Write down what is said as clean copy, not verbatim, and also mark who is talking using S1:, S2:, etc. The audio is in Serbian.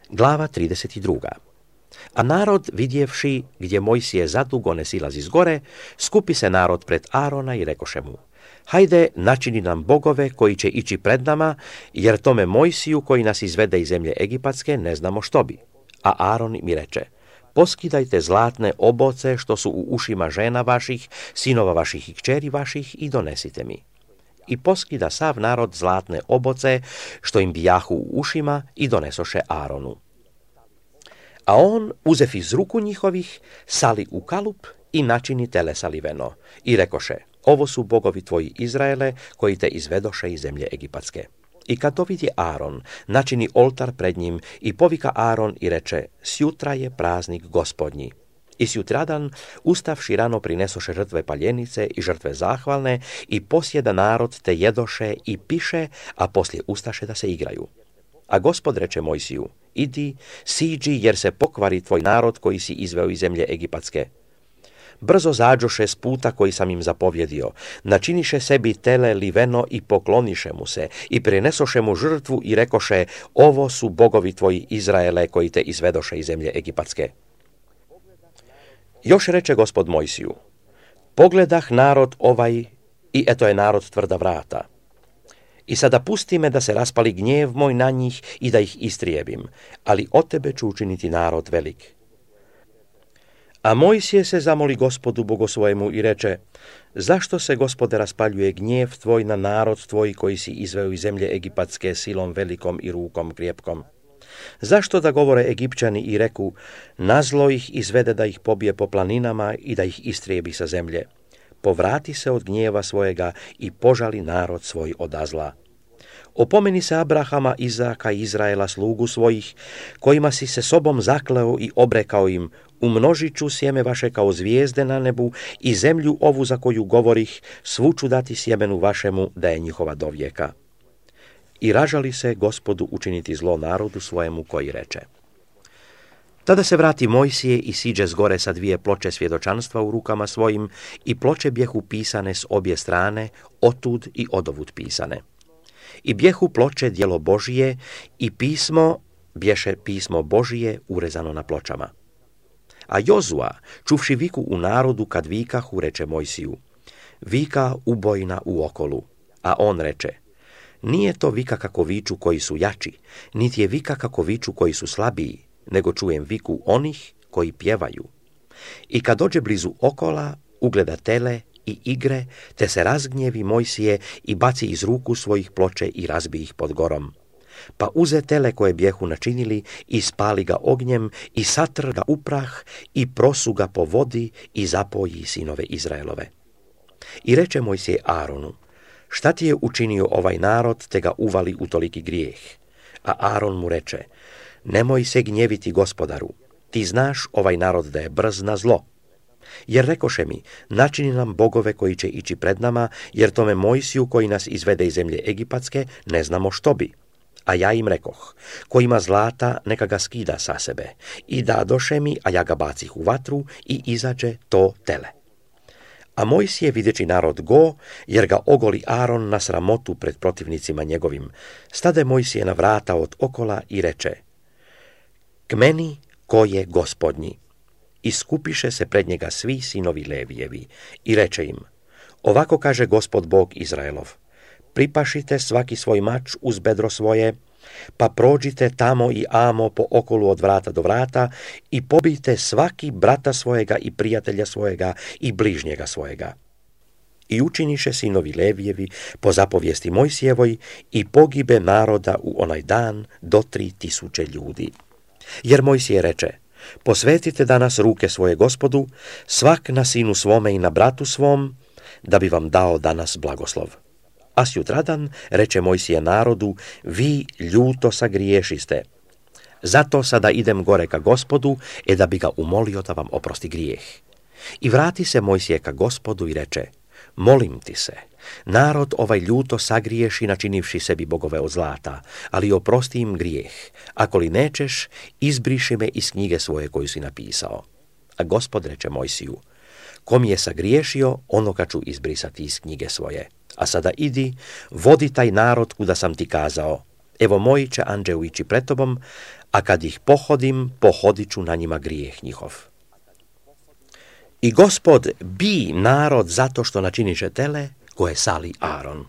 S1: Glava 32. A narod, vidjevši gdje Mojsije zadugo ne silazi z gore, skupi se narod pred Arona i rekoše mu: hajde, načini nam bogove koji će ići pred nama, jer tome Mojsiju koji nas izvede iz zemlje Egipatske ne znamo što bi. A Aron mi reče: poskidajte zlatne oboce što su u ušima žena vaših, sinova vaših i kćeri vaših i donesite mi. I poskida sav narod zlatne oboce što im bijahu u ušima i donesoše Aronu. A on, uzev iz ruku njihovih, sali u kalup i načini tele saliveno. I rekoše: ovo su bogovi tvoji Izraele, koji te izvedoše iz zemlje Egipatske. I kad to vidi Aron, načini oltar pred njim i povika Aron i reče: sjutra je praznik Gospodnji. I sjutradan, ustavši rano, prinesoše žrtve paljenice i žrtve zahvalne i posjeda narod te jedoše i piše, a poslije ustaše da se igraju. A Gospod reče Mojsiju: idi, siđi, jer se pokvari tvoj narod koji si izveo iz zemlje Egipatske. Brzo zađoše s puta koji sam im zapovjedio, načiniše sebi tele liveno i pokloniše mu se i prinesoše mu žrtvu i rekoše: ovo su bogovi tvoji Izraele koji te izvedoše iz zemlje Egipatske. Još reče Gospod Mojsiju: pogledah narod ovaj i eto je narod tvrda vrata. I sada pusti me da se raspali gnjev moj na njih i da ih istrijebim, ali od tebe ću učiniti narod velik. A Mojsije se zamoli Gospodu Bogu svojemu i reče: zašto se, Gospode, raspaljuje gnjev tvoj na narod tvoj koji si izveo iz zemlje Egipatske silom velikom i rukom krjepkom? Zašto da govore Egipćani i reku: nazlo ih izvede da ih pobije po planinama i da ih istrijebi sa zemlje? Povrati se od gnjeva svojega i požali narod svoj od zla. Opomeni se Abrahama, Izaka i Izraela, slugu svojih, kojima si se sobom zakleo i obrekao im: umnožit ću sjeme vaše kao zvijezde na nebu i zemlju ovu za koju govorih svu ću dati sjemenu vašemu da je njihova dovijeka. I ražali se Gospodu učiniti zlo narodu svojemu koji reče. Tada se vrati Mojsije i siđe s gore sa 2 ploče svjedočanstva u rukama svojim i ploče bjehu pisane s obje strane, otud i odovud pisane. I bjehu ploče djelo Božije i pismo bješe pismo Božije urezano na pločama. A Jozua, čuvši viku u narodu kad vikahu, reče Mojsiju: vika ubojna u okolu. A on reče: nije to vika kako viču koji su jači, niti je vika kako viču koji su slabiji, nego čujem viku onih koji pjevaju. I kad dođe blizu okola, ugleda tele i igre, te se razgnjevi Mojsije i baci iz ruku svojih ploče i razbi ih pod gorom. Pa uze tele koje bjehu načinili i spali ga ognjem i satr ga u prah i prosu ga po vodi i zapoji sinove Izraelove. I reče Mojsije Aronu: šta ti je učinio ovaj narod te ga uvali u toliki grijeh? A Aron mu reče: nemoj se gnjeviti, Gospodaru, ti znaš ovaj narod da je brz na zlo. Jer rekoše mi: načini nam bogove koji će ići pred nama, jer tome Mojsiju koji nas izvede iz zemlje Egipatske ne znamo što bi. A ja im rekoh: ko ima zlata, neka ga skida sa sebe. I dadoše mi, a ja ga bacih u vatru i izađe to tele. A Mojsije, videći narod go, jer ga ogoli Aron na sramotu pred protivnicima njegovim, stade Mojsije na vrata od okola i reče: k meni ko je Gospodnji. I skupiše se pred njega svi sinovi Levijevi i reče im: ovako kaže Gospod Bog Izraelov: pripašite svaki svoj mač uz bedro svoje, pa prođite tamo i amo po okolu od vrata do vrata i pobijte svaki brata svojega i prijatelja svojega i bližnjega svojega. I učiniše sinovi Levijevi po zapovijesti Mojsijevoj i pogibe naroda u onaj dan do 3000 ljudi. Jer Mojsije reče: posvetite danas ruke svoje Gospodu, svak na sinu svome i na bratu svom, da bi vam dao danas blagoslov. A sjutradan reče Mojsije narodu: vi ljuto sagriješiste. Zato sada idem gore ka Gospodu, da bi ga umolio da vam oprosti grijeh. I vrati se Mojsije ka Gospodu i reče: molim ti se, narod ovaj ljuto sagriješi načinivši sebi bogove od zlata, ali oprosti im grijeh. Ako li nećeš, izbriši me iz knjige svoje koju si napisao. A Gospod reče Mojsiju: ko mi je sagriješio, onoga ću izbrisati iz knjige svoje. A sada idi, vodi taj narod kuda sam ti kazao. Evo moji će anđeo ići pred tobom, a kad ih pohodim, pohodit ću na njima grijeh njihov. I Gospod bi narod zato što načiniše tele koje sali Aron.